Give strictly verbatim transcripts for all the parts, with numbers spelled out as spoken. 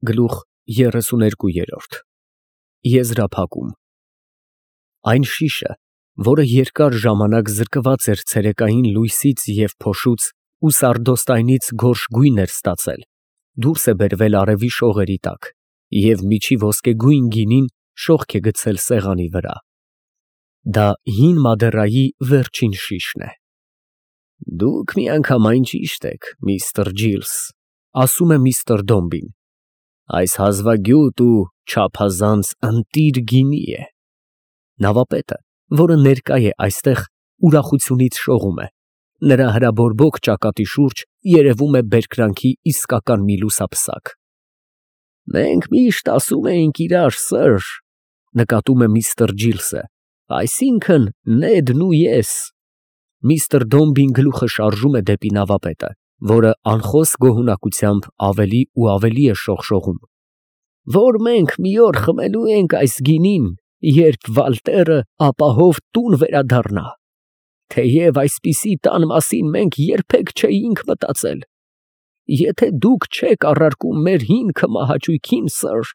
Գլուխ երեսուներկու։ Եզրափակում։ Այն շիշը, որը երկար ժամանակ զրկված էր ցերեկային լույսից և փոշուց ու սարդոստայնից գորշ գույն էր ստացել, դուրս է բերվել արևի շողերի տակ և միջի ոսկեգույն գինին շողք է գցել սեղանի վրա։ Դա հին Մադերայի վերջին շիշն է։ Դուք միանգամայն ճիշտ եք, միստր Ջիլս, ասում է միստր Դոմբին, այս հազվագյուտ ու չափազանց ընտիր գինի է։ Նավապետը, որը ներկա է այստեղ, ուրախությունից շողում է, նրա հրաբորբոք ճակատի շուրջ երևում է բերկրանքի իսկական մի լուսափսակ։ Մենք միշտ ասում էինք իրար, սըր, նկատում է միստր Ջիլսը, այսինքն Նեդն ու ես։ Միստր Դոմբին գլուխը շարժում է դեպի նավապետը, որը անխոս գոհունակությամբ ավելի ու ավելի է շողշողում, որ մենք մի օր խմելու ենք այս գինին, երբ Վալտերը ապահով տուն վերադառնա, թեև այսպիսի տան մասին մենք երբեք չէինք մտածել։ Եթե դուք չեք առարկում մեր հինգը մահաճույքին, սըր,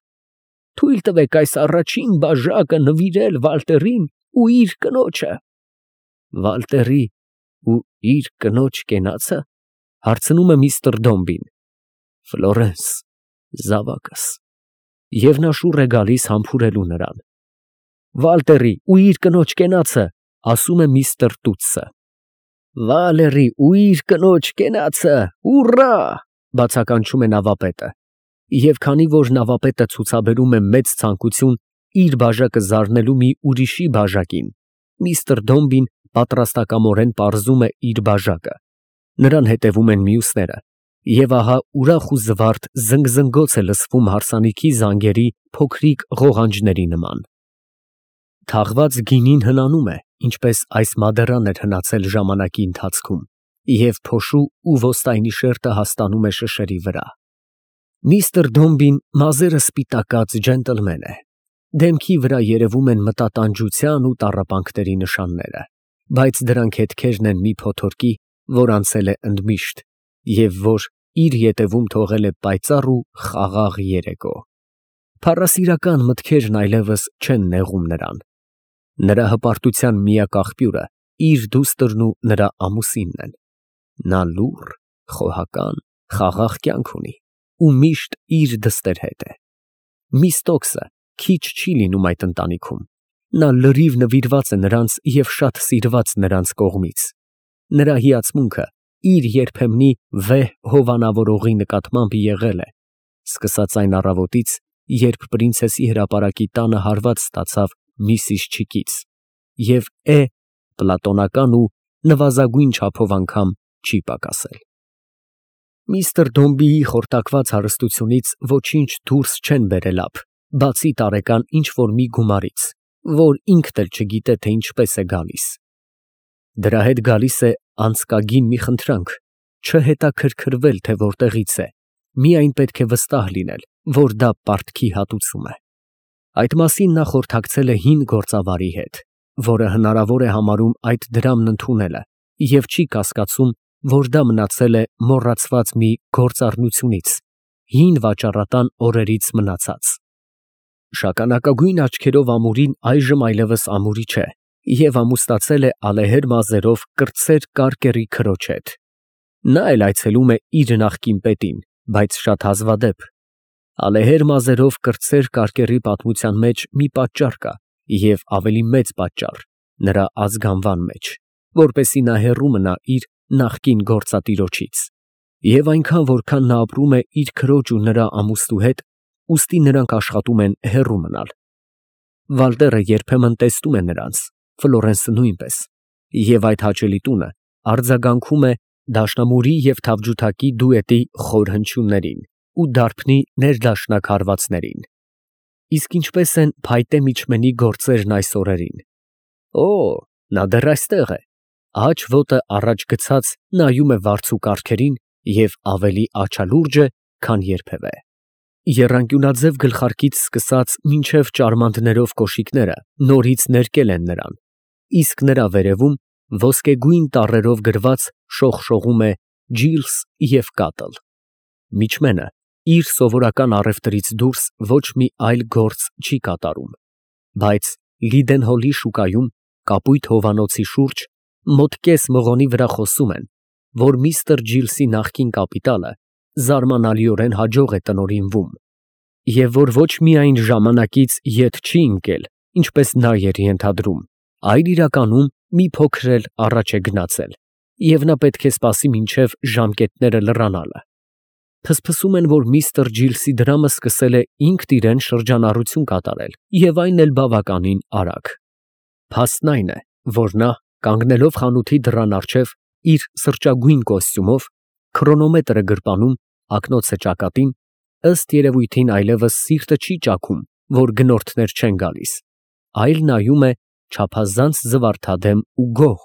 թույլ տվեք այս առաջին բաժակը նվիրել Վալտերին ու իր կնոջը։ Վալտերի ու իր կնոջ կենացը, հարցնում է միստր Դոմբին։ Ֆլորենս, զավակս։ Եվ նա շուռ է գալիս համբուրելու նրան։ Վալտերի ու իր կնոջ կենացը, ասում է միստր Տուտսը։ Վալերի ու իր կնոջ կենացը, ուռա, բացականչում է նավապետը, և քանի որ նավապետը ցուցաբերում է մեծ ցանկություն իր բաժակը զարնելու մի ուրիշի բաժակին, միստր Դոմբին պատրաստակամորեն պարզում է իր բաժակը, նրան հետևում են մյուսները, և ահա ուրախ ու զվարթ զնգզնգոց է լսվում հարսանիքի զանգերի փոքրիկ ղողանջների նման։ Թաղված գինին հնանում է, ինչպես այս Մադերան էր հնացել ժամանակի ընթացքում, և փոշու ու ոստայնի շերտը հաստանում է շշերի վրա։ Միստր Դոմբին մազերը սպիտակած ջենտլմեն է, դեմքի վրա երևում են մտատանջության ու տառապանքների նշանները, բայց դրանք հետքերն են մի փոթորկի, որ անցել է ընդմիշտ, և որ իր ետևում թողել է պայծառ ու խաղաղ երեկո։ Փառասիրական մտքերն այլևս չեն նեղում նրան։ Նրա հպարտության միակ աղբյուրը իր դուստրն ու նրա ամուսինն են։ Նա լուռ, խոհական, խաղաղ կյանք ունի ու միշտ իր դստեր հետ է։ Միստոկսը քիչ չի լինում այդ ընտանիքում։ Նա լրիվ նվիրված է նրանց և շատ սիրված նրանց կողմից։ Նրա հիացմունքը իր երբեմնի վեհ հովանավորողի նկատմամբ եղել է, սկսած այն առավոտից, երբ պրինցեսի հրապարակի տանը հարված ստացավ միսիս Չիկից, և է պլատոնական ու նվազագույն չափով անգամ չի պակասել։ Միստր Դոմբիի խորտակված հարստությունից ոչինչ դուրս չեն բերել ափ, բացի տարեկան ինչ֊որ մի գումարից, որ ինքն էլ չգիտե, թե ինչպես է գալիս։ Դրա հետ գալիս է անձկագին մի խնդրանք, չհետաքրքրվել, թե որտեղից է, միայն պետք է վստահ լինել, որ դա պարտքի հատուցում է։ Այդ մասին նա խորհրդակցել է հին գործավարի հետ, որը հնարավոր է համարում այդ դրամն ընդունելը և չի կասկածում, որ դա մնացել է մոռացված մի գործառնությունից, հին վաճառատան օրերից մնացած։ Շագանակագույն աչքերով ամուրին այժմ այլևս ամուրի չէ և ամուսնացել է ալեհեր մազերով կրտսեր կարկերի քրոջ հետ։ Նա էլ այցելում է իր նախկին պետին, բայց շատ հազվադեպ։ Ալեհեր մազերով կրտսեր կարկերի պատմության մեջ մի պատճառ կա և ավելի մեծ պատճառ նրա ազգանվան մեջ, որպեսզի նա հեռու մնա իր նախկին գործատիրոջից։ Եվ այնքան, որքան նա ապրում է իր քրոջ ու նրա ամուսնու հետ, ուստի նրանք աշխատում են հեռու մնալ։ Վալտերը երբեմն տեսնում է նրանց, Ֆլորենսը նույնպես, և այդ հաճելի տունը արձագանքում է դաշնամուրի և թավջութակի դուետի խոր հնչյուններին ու դարբնի ներդաշնակ հարվածներին։ Իսկ ինչպե՞ս են փայտե միջմենի գործերն այս օրերին։ Օ, նա դեռ այստեղ է, աջ ոտը առաջ գցած նայում է վարձու կառքերին և ավելի աչալուրջ է, քան երբևէ։ Եռանկյունաձև գլխարկից սկսած մինչև ճարմանտներով կոշիկները նորից ներկել են նրան, իսկ նրա վերևում ոսկեգույն տառերով գրված շողշողում է Ջիլս և Կատլ։ Միջմենը իր սովորական առևտրից դուրս ոչ մի այլ գործ չի կատարում, բայց Լիդենհոլի շուկայում կապույտ հովանոցի շուրջ մոտ կես մղոնի վրա խոսում են, որ միստր Ջիլսի նախկին կապիտալը զարմանալիորեն հաջող է տնօրինվում, և որ ոչ միայն ժամանակից ետ չի ընկել, ինչպես նա էր ենթադրում, այլ իրականում մի փոքր էլ առաջ է գնացել, և նա պետք է սպասի մինչև ժամկետները լռանալը։ Փսփսում են, որ միստր Ջիլսի դրամը սկսել է ինքն իրեն շրջանառություն կատարել և այն էլ բավականին արագ։ Փաստն այն է, որ նա, կանգնելով խանութի դռան առջև իր սրճագույն կոստյումով, քրոնոմետրը գրպանում, ակնոցը ճակատին, ըստ երևույթին այլևս սիրտը չի ճաքում, որ գնորդներ չեն գալիս, այլ նայում է չափազանց զվարթադեմ ու գոհ,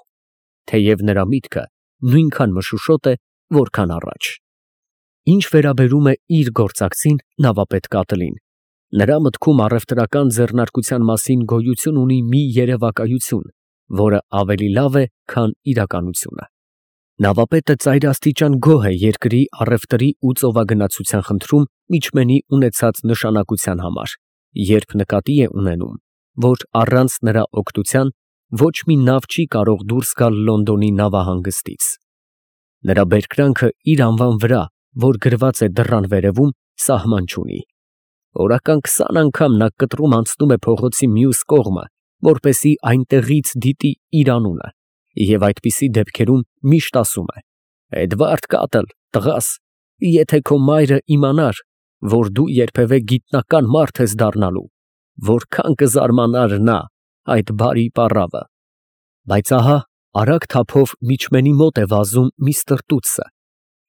թեև նրա միտքը նույնքան մշուշոտ է, որքան առաջ։ Ինչ վերաբերում է իր գործակցին նավապետ Կատլին, նրա մտքում առևտրական ձեռնարկության մասին գոյություն ունի մի երևակայություն, որը ավելի լավ է, քան իրականությունը։ Նավապետը ծայրաստիճան գոհ է երկրի առևտրի ու ծովագնացության խնդրում միջմենի ունեցած նշանակության համար, երբ նկատի է ունենում, որ առանց նրա օգնության ոչ մի նավ չի կարող դուրս գալ Լոնդոնի նավահանգստից։ Նրա բերկրանքը իր անվան վրա, որ գրված է դռան վերևում, սահման չունի։ Օրական քսան անգամ նա կտրում անցնում է փողոցի մյուս կողմը, որպեսզի այնտեղից դիտի իր անունը, և այդպիսի դեպքերում միշտ ասում է. «Էդվարդ Կատլ, տղաս, եթե քո մայրը իմանար, որ դու երբևէ գիտնական մարդ ես դառնալու, որքան կզարմանար նա այդ բարի պառավը»։ Բայց ահա արագ թափով միջմենի մոտ է վազում միստր Տուտսը։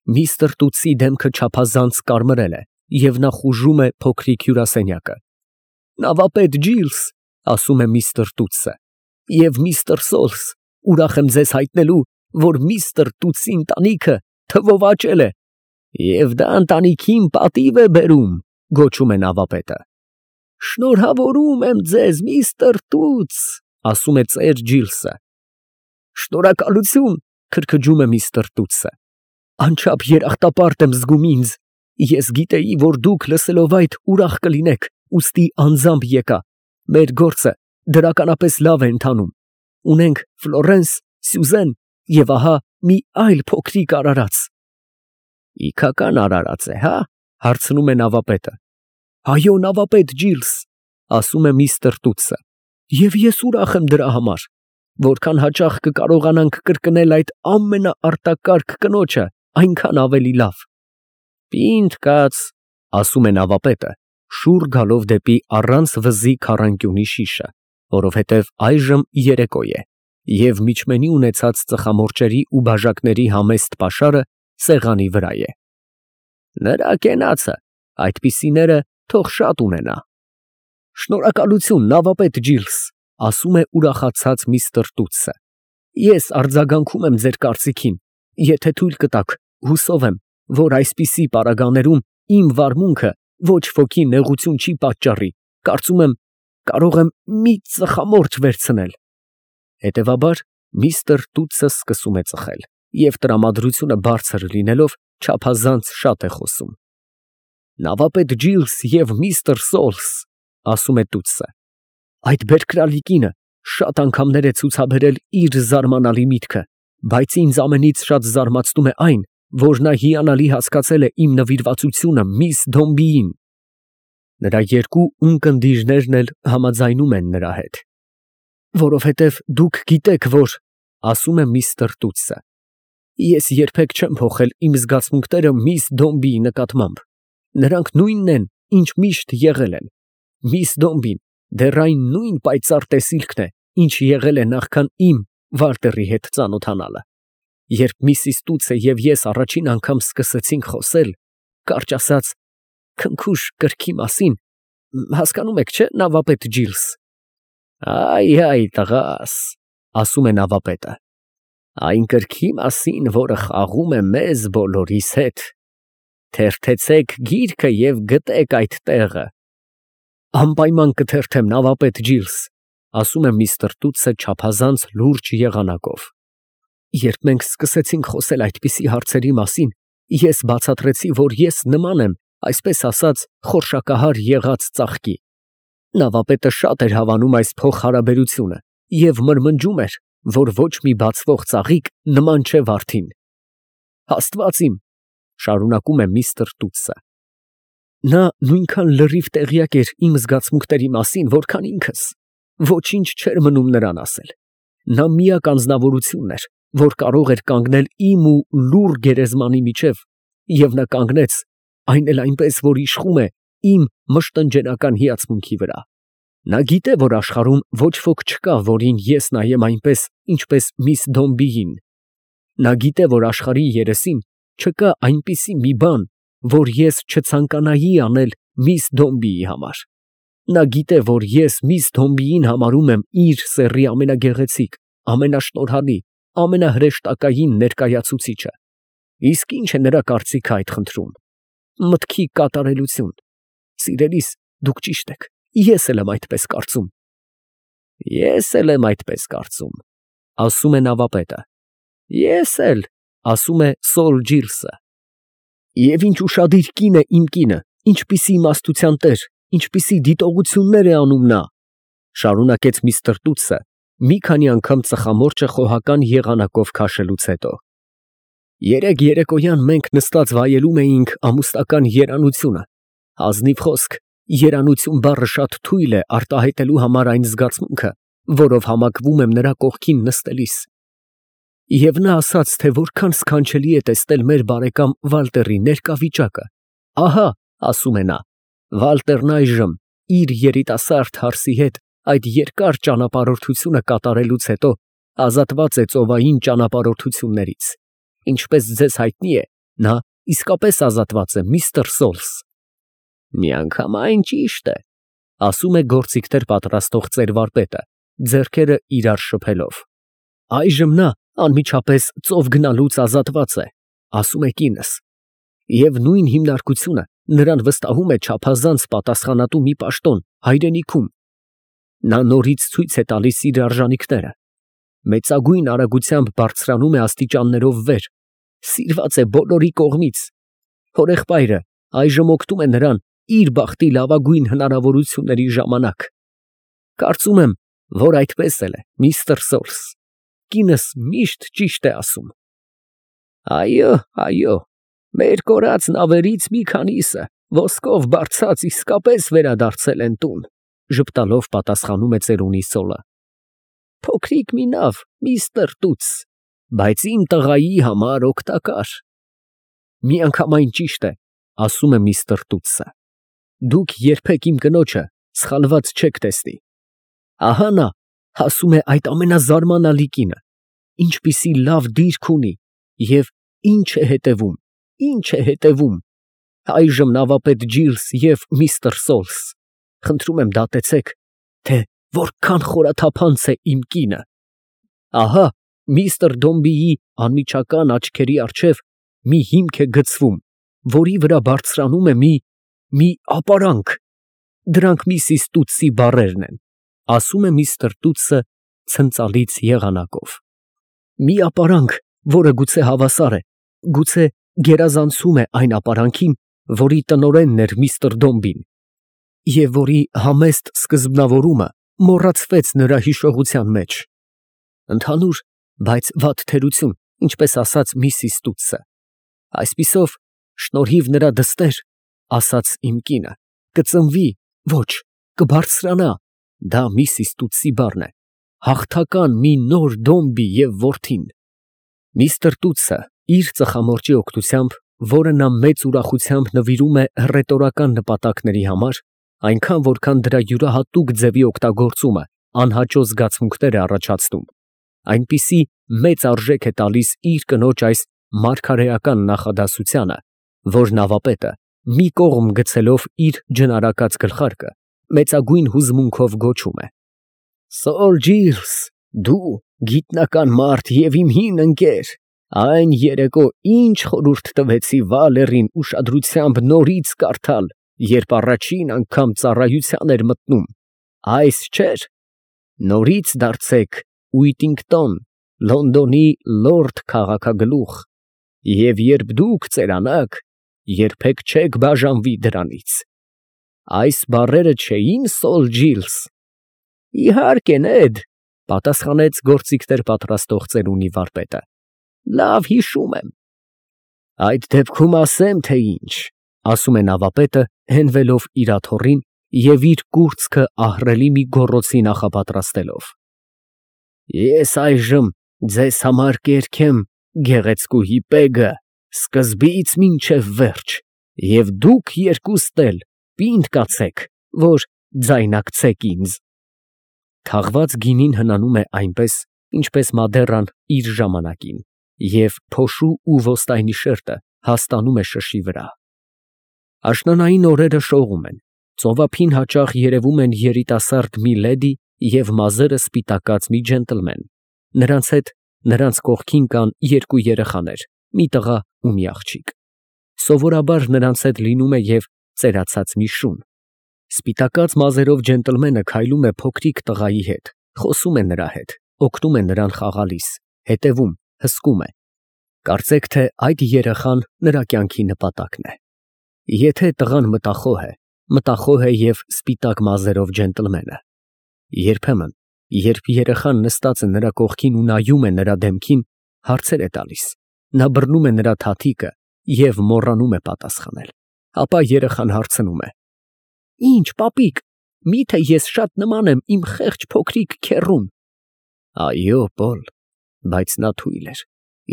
Միստր Տուտսի դեմքը չափազանց կարմրել է, և նա խուժում է փոքրիկ հյուրասենյակը։ «Նավապետ Ջիլս», ասում է միստր Տուտսը, «և միստր Սոլս, ուրախ եմ ձեզ հայտնելու, որ միստր Տուտսի ընտանիքը թվով աճել է»։ «Եվ դա ընտանիքին պատիվ է բերում», գոչում է նավապետը։ «Շնորհավորում եմ ձեզ, միստր Տուտս», ասում է ծեր Ջիլսը։ «Շնորհակալություն», քրքջում է միստր Տուտսը։ «Անչափ երախտապարտ եմ զգում ինձ, ես գիտեի, որ դուք լսելով այդ ուրախ կլինեք, ուստի անձամբ եկա, մեր գործը դրականապես լավ է ընթանում, ունենք Ֆլորենս, Սյուզեն և ահա մի այլ փոքրիկ արարած»։ «Իքական արարած է, հա՞, հարցնում է նավապետը։ «Այո, նավապետ Ջիլս», ասում է միստր Տուտսը, «և ես ուրախ եմ դրա համար, որքան հաճախ կկարողանանք կրկնել այդ ամենաարտակարգ կնոջը, այնքան ավելի լավ»։ «Պինդ կաց», ասում է նավապետը, շուռ գալով դեպի առանց վզի քառանկյունի շիշը, որովհետև այժմ երեկո է, և միջմենի ունեցած ծխամորճերի ու բաժակների համեստ պաշարը սեղանի վրա է։ «Նրա կենացը այդպիսիները թող շատ ունենա»։ «Շնորհակալություն, նավապետ Ջիլս», ասում է ուրախացած միստր Տուտսը։ «Ես արձագանքում եմ ձեր կարծիքին, եթե թույլ կտաք, հուսով եմ, որ այսպիսի պարագաներում իմ վարմունքը ոչ ոքի նեղություն չի պատճառի, կարծում եմ, կարող եմ մի ծխամորճ վերցնել»։ Հետևաբար միստր Տուտսը սկսում է ծխել և տրամադրությունը բարձր լինելով չափազանց շատ է խոսում։ «Նավապետ Ջիլս և միստր Սոլս», ասում է Տուտսը, «այդ բերկրալի կինը շատ անգամներ է ցուցաբերել իր զարմանալի միտքը, բայց ինձ ամենից շատ զարմացնում է այն, որ նա հիանալի հասկացել է իմ նվիրվածությունը միս Դոմբիին»։ Նրա երկու ունկնդիրներն էլ համաձայնում են նրա հետ։ «Որովհետև դուք գիտեք, որ», ասում է միստր Տուտսը, «ես երբեք չեմ փոխել իմ զգացմունքները միս Դոմբիի նկատմամբ, նրանք նույնն են, ինչ միշտ եղել են։ Միս Դոմբին դեռ այն նույն պայծառ տեսիլքն է, ինչ եղել է նախքան իմ Վալտերի հետ ծանոթանալը։ Երբ միսիս Տուտսը և ես առաջին անգամ սկսեցինք խոսել, կարճ ասած, քնքուշ կրքի մասին, հասկանում եք, չէ՞, նավապետ Ջիլս»։ «Այ, այ, տղաս», ասում է նավապետը, «այն կրքի մասին, որը խաղում է մեզ բոլորիս հետ։ Թերթեցեք գիրքը և գտեք այդ տեղը»։ «Անպայման կթերթեմ, նավապետ Ջիլս», ասում է միստր Տուտսը չափազանց լուրջ եղանակով։ «Երբ մենք սկսեցինք խոսել այդպիսի հարցերի մասին, ես բացատրեցի, որ ես նման եմ այսպես ասած, խորշակահար եղած ծաղկի։ Նավապետը շատ էր հավանում այս փոխհարաբերությունը և մրմնջում էր, որ ոչ մի բացվող ծաղիկ նման չէ վարդին։ Աստված իմ, շարունակում է միստր Տուտսը, նա նույնքան լրիվ տեղյակ էր իմ զգացմունքների մասին, որքան ինքս, ոչինչ չէր մնում նրան ասել։ Նա միակ անձնավորությունն էր, որ կարող էր կանգնել իմ ու լուռ գերեզմանի միջև, և նա կանգնեց, այն էլ այնպես, որ իշխում է իմ մշտնջենական հիացմունքի վրա։ Նա գիտե, որ աշխարհում ոչ ոք չկա, որին ես նայեմ այնպես, ինչպես միս Դոմբիին։ Նա գիտե, որ աշխարհի երեսին չկա այնպիսի մի բան, որ ես չցանկանայի անել միս Դոմբիի համար։ Նա գիտե, որ ես միս Դոմբիին համարում եմ իր սեռի ամենագեղեցիկ, ամենաշնորհալի, ամենահրեշտակային ներկայացուցիչը։ Իսկ ի՞նչ է նրա կարծիքը այդ խնդրում։ Մտքի կատարելություն։ Սիրելիս, դուք ճիշտ եք, ես էլ եմ այդպես կարծում։ Ես էլ եմ այդպես կարծում, ասում է նավապետը։ Ես էլ, ասում է Սոլ Ջիլսը։ Եվ ինչ ուշադիր կին է իմ կինը, ինչպիսի իմաստության տեր, ինչպիսի դիտողություններ է անում նա, շարունակեց միստր Տուտսը, մի քանի անգամ ծխամորճը խոհական եղանակով քաշելուց հետո։ Երեկ երեկոյան մենք նստած վայելում էինք ամուսնական երանությունը, ազնիվ խոսք, երանություն բառը շատ թույլ է արտահայտելու համար այն զգացմունքը, որով համակվում եմ նրա կողքին նստելիս։ Եվ նա ասաց, թե որքան սքանչելի է տեսնել մեր բարեկամ Վալտերի ներկա վիճակը։ Ահա, ասում է նա, Վալտերն այժմ իր երիտասարդ հարսի հետ այդ երկար ճանապարհորդությունը կատարելուց հետո ազատված է ծովային ճանապարհորդություններից։ Ինչպես ձեզ հայտնի է, նա իսկապես ազատված է, միստր Սոլս։ Միանգամայն ճիշտ է, ասում է գործիքներ պատրաստող ծերվարպետը, ձեռքերը իրար շփելով։ Այժմ նա անմիջապես ծով գնալուց ազատված է, ասում է կինս, և նույն հիմնարկությունը նրան վստահում է չափազանց պատասխանատու մի պաշտոն հայրենիքում։ Նա նորից ցույց է տալիս իր արժանիքները, մեծագույն արագությամբ բարձրանում է աստիճաններով վեր, սիրված է բոլորի կողմից։ Հորեղբայրը այժմ օգնում է նրան իր բախտի լավագույն հնարավորությունների ժամանակ։ Կարծում եմ, որ այդպես էլ է, միստր Սոլս, կինս միշտ ճիշտ է ասում։ Այո, այո, մեր կորած նավերից մի քանիսը ոսկով բարձած իսկապես վերադարձել են տուն, ժպտալով պատասխանում է ծերունի Սոլը։ Փոքրիկ մի նավ, միստր Տուտս, բայց իմ տղայի համար օգտակար։ Միանգամայն ճիշտ է, ասում է միստր Տուտսը։ Դուք երբեք իմ կնոջը սխալված չեք տեսնի։ Ահա նա, ասում է այդ ամենազարմանալի կինը, ինչպիսի լավ դիրք ունի և ինչ է հետևում, ինչ է հետևում։ Այժմ նավապետ Ջիլս և միստր Սոլս, խնդրում եմ դատեցեք, թե որքան խորաթափանց է իմ կինը։ Ահա միստր Դոմբիի անմիջական աչքերի առջև մի հիմք է գցվում, որի վրա բարձրանում է մի, մի ապարանք։ Դրանք միսիս Տուտսի բառերն են, ասում է միստր Տուտսը ցնծալից եղանակով։ Մի ապարանք, որը գուցե հավասար է, գուցե գերազանցում է այն ապարանքին, որի տնօրենն էր միստր Դոմբին, և որի համեստ սկզբնավորումը մոռացվեց նրա հիշողության մեջ։ Ընդհանուր, բայց վատ թերություն, ինչպես ասաց միսիս Տուտսը։ Այսպիսով, շնորհիվ նրա դստեր, ասաց իմ կինը, կծնվի, ոչ, կբարձրանա, դա միսիս Տուտսի բառն է, հաղթական մի նոր Դոմբի և որդին։ Միստր Տուտսը իր ծխամորճի օգնությամբ, որը նա մեծ ուրախությամբ նվիրում է հռետորական նպատակների համար, այնքան որքան դրա յուրահատուկ ձևի օգտագործումը անհաճո զգացմունքներ է առաջացնում, այնպիսի մեծ արժեք է տալիս իր կնոջ այս մարգարեական նախադասությանը, որ նավապետը, մի կողմ գցելով իր ջնարակած գլխարկը, մեծագույն հուզմունքով գոչում է. Սոլ Ջիլս, դու գիտնական մարդ և իմ հին ընկեր, այն երեկո ինչ խորհուրդ տվեցի Վալերին ուշադրությամբ նորից կարդալ, երբ առաջին անգամ ծառայության էր մտնում, այս չէր, նորից դարձեք Ուիտինգտոն, Լոնդոնի լորդ քաղաքագլուխ, և երբ դուք ծերանաք, երբեք չեք բաժանվի դրանից։ Այս բառերը չէի՞ն Սոլ Ջիլս։ Իհարկե, Նեդ, պատասխանեց գործիքներ պատրաստող ծերունի վարպետը։ Լավ հիշում եմ։ Այդ դեպքում ասեմ, թե ինչ, ասում է նավապետը, հենվելով իր աթոռին և իր կուրծքը ահռելի մի գոռոցի նախապատրաստելով։ Ես այժմ ձեզ համար կերքեմ գեղեցկուհի Պեգը սկզբից մինչև վերջ, և դուք երկուստ էլ պինդ կացեք, որ ձայնարկեցեք ինձ։ Թաղված գինին հնանում է այնպես, ինչպես Մադեռան իր ժամանակին, և փոշու ու ոստայնի շերտը հաստանում է շշի վրա։ Աշնանային օրերը շողում են, ծովափին հաճախ երևում են երիտասարդ մի լեդի և մազերը սպիտակած մի ջենտլմեն, նրանց հետ նրանց կողքին կան երկու երեխաներ, մի տղա ու մի աղջիկ։ Սովորաբար նրանց հետ լինում է և ծերացած մի շուն։ Սպիտակած մազերով ջենտլմենը քայլում է փոքրիկ տղայի հետ, խոսում է նրա հետ, օգնում է նրան խաղալիս, հետևում, հսկում է։ Կարծեք, թե այդ երեխան նրա կյանքի նպատակն է։ Եթե տղան մտախոհ է, մտախոհ է և սպիտակ մազերով ջենտլմենը։ Երբեմն, երբ երեխան նստած է նրա կողքին ու նայում է նրա դեմքին, հարցեր է տալիս, նա բռնում է նրա թաթիկը և մոռանում է պատասխանել, ապա երեխան հարցնում է. Ի՞նչ, պապիկ, միթե ես շատ նման եմ իմ խեղճ փոքրիկ քեռուն։ Այո, Պոլ, բայց նա թույլ էր,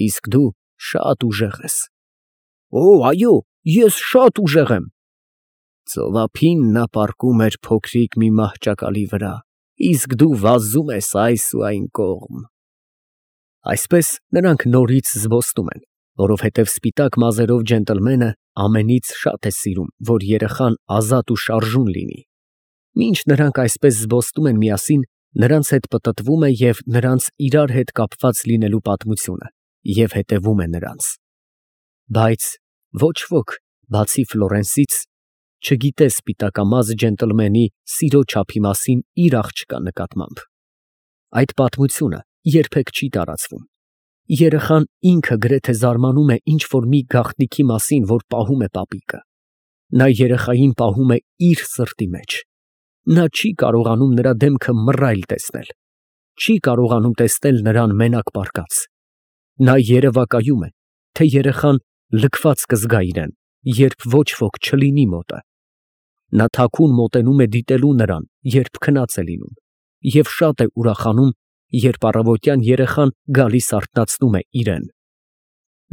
իսկ դու շատ ուժեղ ես։ Օ, այո, ես շատ ուժեղ եմ։ Ծովափին նա պառկում էր փոքրիկ մի մահճակալի վրա, իսկ դու վազում ես այս ու այն կողմ։ Այսպես նրանք նորից զբոսնում են, որովհետև սպիտակ մազերով ջենտլմենը ամենից շատ է սիրում, որ երեխան ազատ ու շարժուն լինի։ Մինչ նրանք այսպես զբոսնում են միասին, նրանց հետ պտտվում է և նրանց իրար հետ կապված լինելու պատմությունը և հետևում է նրանց։ Բայց ոչ ոք, բացի Ֆլորենսից, չգիտե սպիտակամազ ջենտլմենի սիրո չափի մասին իր աղջկա նկատմամբ։ Այդ պատմությունը երբեք չի տարածվում։ Երեխան ինքը գրեթե զարմանում է ինչ֊որ մի գաղտնիքի մասին, որ պահում է պապիկը։ Նա երեխային պահում է իր սրտի մեջ։ Նա չի կարողանում նրա դեմքը մռայլ տեսնել, չի կարողանում տեսնել նրան մենակ պառկած։ Նա երևակայում է, թե երեխան լքված կզգա իրան, երբ ոչ ոք չլինի մոտը։ Նա թաքուն մոտենում է դիտելու նրան, երբ քնած է լինում, և շատ է ուրախանում, երբ առավոտյան երեխան գալիս արթնացնում է իրան։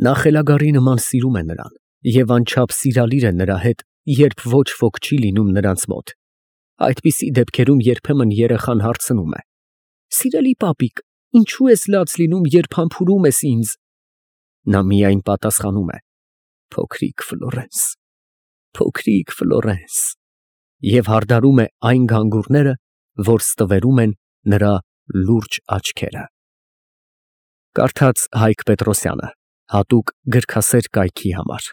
Նա խելագարի նման սիրում է նրան և անչափ սիրալիր է նրա հետ, երբ ոչ ոք չի լինում նրանց մոտ։ Այդպիսի դեպքերում երբեմն երեխան հարցնում է. Սիրելի պապիկ, ինչու ես լաց լինում, երբ համբուրում ես ինձ։ Նա միայն պատասխանում է. Փոքրիկ Ֆլորենս, փոքրիկ Ֆլորենս, և հարդարում է այն գանգուրները, որ ստվերում են նրա լուրջ աչքերը։ Կարդաց Հայկ Պետրոսյանը, հատուկ գրքասեր կայքի համար։